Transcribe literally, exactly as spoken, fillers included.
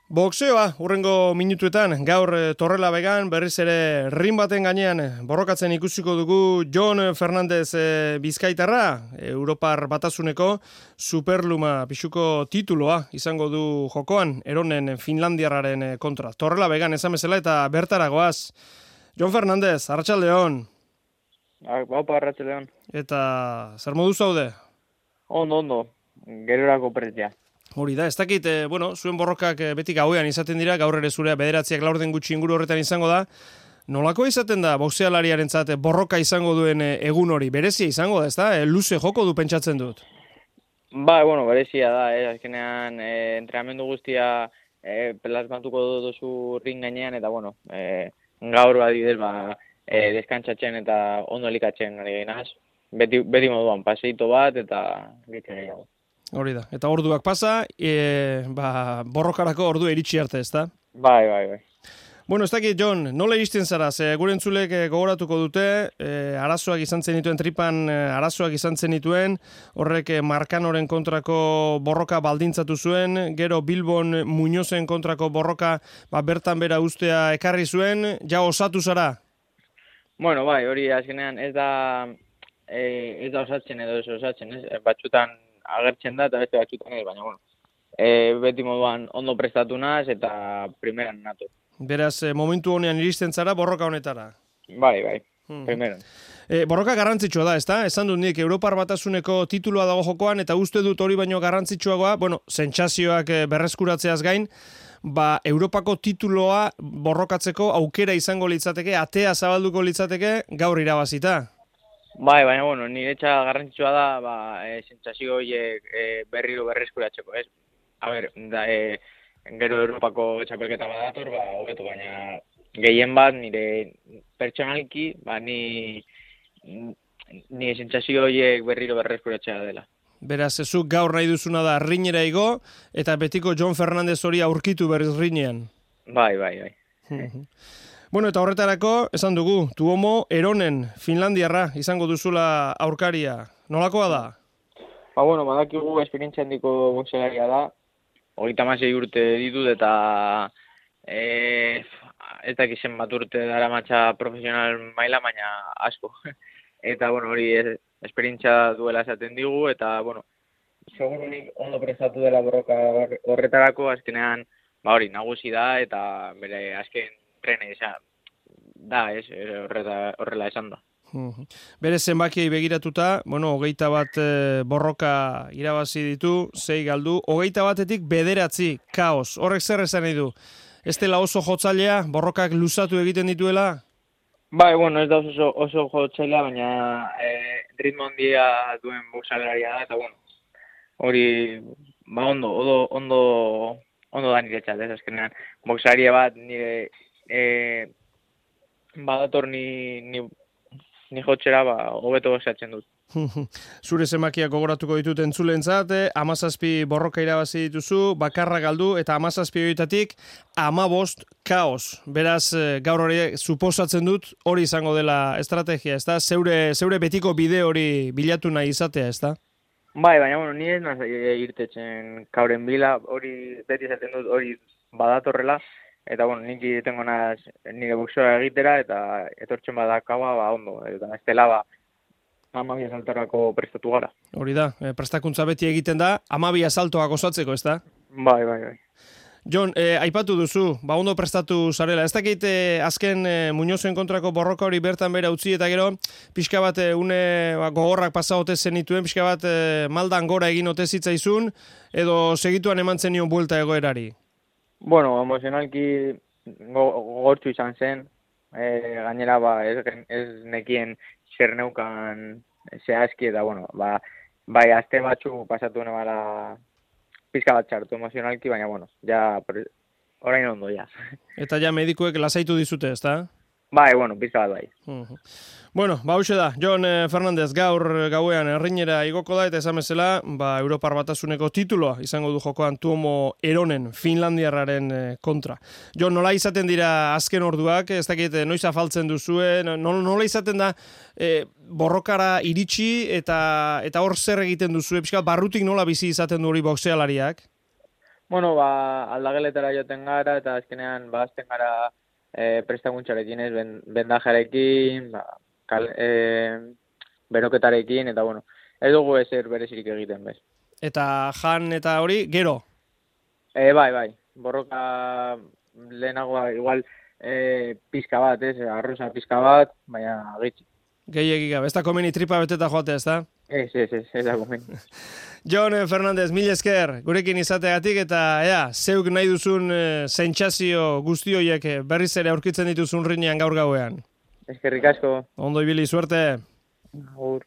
Boxeoa, hurrengo minutuetan, gaur Torrela Began, berriz ere rin baten gainean borrokatzen ikusiko dugu Jon Fernandez e, Bizkaitarra, Europar Batasuneko superluma pixuko tituloa izango du jokoan, eronen Finlandiarraren kontra. Torrela Began esan bezala eta bertaragoaz. Jon Fernandez, arratsaldeon. Baupa, arratsaldeon. Eta zer modu zaude? Ondo, ondo, gerorako pretzea. Hori da, ez dakit, e, bueno, zuen borrokak e, beti gauean izaten dira, gaur ere zurea bederatziak laurden gutxi inguru horretan izango da. Nolako izaten da boxealariarentzat borroka izango duen e, egun hori? Berezia izango da, ez da? E, luze joko du pentsatzen dut. Ba, bueno, berezia da, eh? Azkenean e, entrenamendu guztia e, plasmatuko duzu ring gainean, eta bueno, e, gaur adibidez, ba, e, deskantzatzen eta ondo elikatzen ari gainaz. Beti, beti moduan, paseito bat eta gitzen gehiago. Hori da, eta orduak pasa, e, ba, borrokarako ordu iritsi arte, ez da? Bai, bai, bai. Bueno, ez dakit, Jon, nola iristen zara? Ze gure entzulek gogoratuko dute, e, arazoak izan zenituen, tripan e, arazoak izan zenituen, horrek e, Markanoren kontrako borroka baldintzatu zuen, gero Bilbon Muñozen kontrako borroka ba, bertan bera ustea ekarri zuen, ja osatu zara? Bueno, bai, hori azkenean ez da, e, ez da osatzen edo ez osatzen, ez? Batxutan agertzen da eta beste batzutan ez, baina bueno, e, beti moduan ondo prestatu naz eta primeran nato. Beraz, momentu honean iristen zara borroka honetara? Bai, bai, hmm. primeran. E, borroka garrantzitsua da, ezta? Esan dut nik, Europar Batasuneko titulua dago jokoan, eta uste dut hori baino garrantzitsuagoa, bueno, sentsazioak berreskuratzeaz gain, ba, Europako tituloa borrokatzeko aukera izango litzateke, atea zabalduko litzateke, gaur irabazita. Bai, baina, bueno, niretza garrantzitsua da, ba, e, sentsazio horiek e, berriro berreskuratzeko, ez? A ber, da, e, gero Europako txapelketa badator, ba, hobeto, baina gehien bat nire pertsonalki, ba, ni, ni sentsazio horiek berriro berreskuratzea dela. Beraz, ezuk gaur nahi duzuna da rinera igo, eta betiko Jon Fernandez hori aurkitu berriz rinean. Bai, bai, bai. Bueno, eta horretarako, esan dugu, Tuomo Eronen, Finlandiarra, izango duzula aurkaria. Nolakoa da? Ba, bueno, badakigu esperientzia handiko boxealaria da. Hogeita hamasei urte ditut eta e, ez dakizen bat urte dara matxa profesional maila, baina asko. Eta, bueno, hori es, esperientzia duela esaten digu, eta, bueno, segurunik ondo prestatu dela borroka horretarako, azkenean, ba hori, nagusi da, eta bere azken trene izan da, ez, horreta, horrela esan da. Bere zenbakiei begiratuta, bueno, hogeita bat e, borroka irabazi ditu, sei galdu, hogeita batetik bederatzi, kaos. Horrek zer esan nahi du? Ez dela oso jotzailea, borrokak luzatu egiten dituela? Bai, bueno, ez da oso, oso jotzailea, baina e, ritmo handia duen boxalaria da, eta bueno, hori, ba ondo, ondo, ondo, ondo da niretzat, ez azkenean, boxaria bat nire e, badator ni, ni ni jotxera, ba, hobeto esatzen dut. Zure zenbakiak gogoratuko ditut entzulentzat, hamazazpi borroka irabazi dituzu, bakarra galdu, eta hamazazpi horietatik hamabost kaos. Beraz, gaur hori suposatzen dut hori izango dela estrategia, ez da? Zeure, zeure betiko bide hori bilatu nahi izatea, ez da? Bai, baina, bueno, ni ez naz irtetzen kauren bila, hori beti esaten dut hori badatorrela, eta, bueno, nik tengo naz nire boxeoa egitera, eta etortzen badakaua, ba, ondo, eta ez dela, ba, amabi asaltarako prestatu gara. Hori da, prestakuntza beti egiten da, amabi asaltoak osatzeko, ez da? Bai, bai, bai. Jon, eh, aipatu duzu, ba ondo prestatu zarela. Ez dakit eh, azken eh, Muñozen kontrako borroka hori bertan bera utzi, eta gero, pixka bat eh, une ba, gogorrak pasa ote zenituen, pixka bat eh, maldan gora egin ote zitzaizun, edo segituan eman zenion buelta egoerari? Bueno, emozionalki gogortzu izan zen, e, gainera ba, ez, ez nekien zer neukan zehazki, eta bueno, ba, bai aste batzu pasatu nebala pizka bat txartu emozionalki, baina bueno, ja, orain ondo, ja. Eta ja medikuek lasaitu dizute, ez da? Bai, bueno, pizka bat bai. Uh-huh. Bueno, ba hauxe da, Jon Fernandez gaur gauean errinera igoko da, eta esan bezala, ba, Europar Batasuneko tituloa izango du jokoan Tuomo Eronen, Finlandiarraren kontra. Jon, nola izaten dira azken orduak, ez dakit noiz afaltzen duzue, nola izaten da e, borrokara iritsi, eta eta hor zer egiten duzue, pixka barrutik nola bizi izaten du hori boxealariak? Bueno, ba, aldageletara joten gara, eta azkenean, ba, azten gara e, prestakuntzarekin, ez, ben, bendajarekin, ba, kal, e, beroketarekin, eta, bueno, ez dugu ezer berezirik egiten, bez. Eta jan eta hori, gero? E, bai, bai, borroka lehenagoa, igual, e, pizka bat, ez, arroza pizka bat, baina gitxi. Gehiagik gabe, ez da komeni tripa beteta joatea, ez da? Ez, ez, ez, ez da komeni. Jon Fernandez, mil esker, gurekin izateagatik, eta ea, zeuk nahi duzun e, sentsazio guzti horiek berriz ere aurkitzen dituzun rinean gaur gauean. Eskerrik asko. Ondo ibili, suerte. Agur.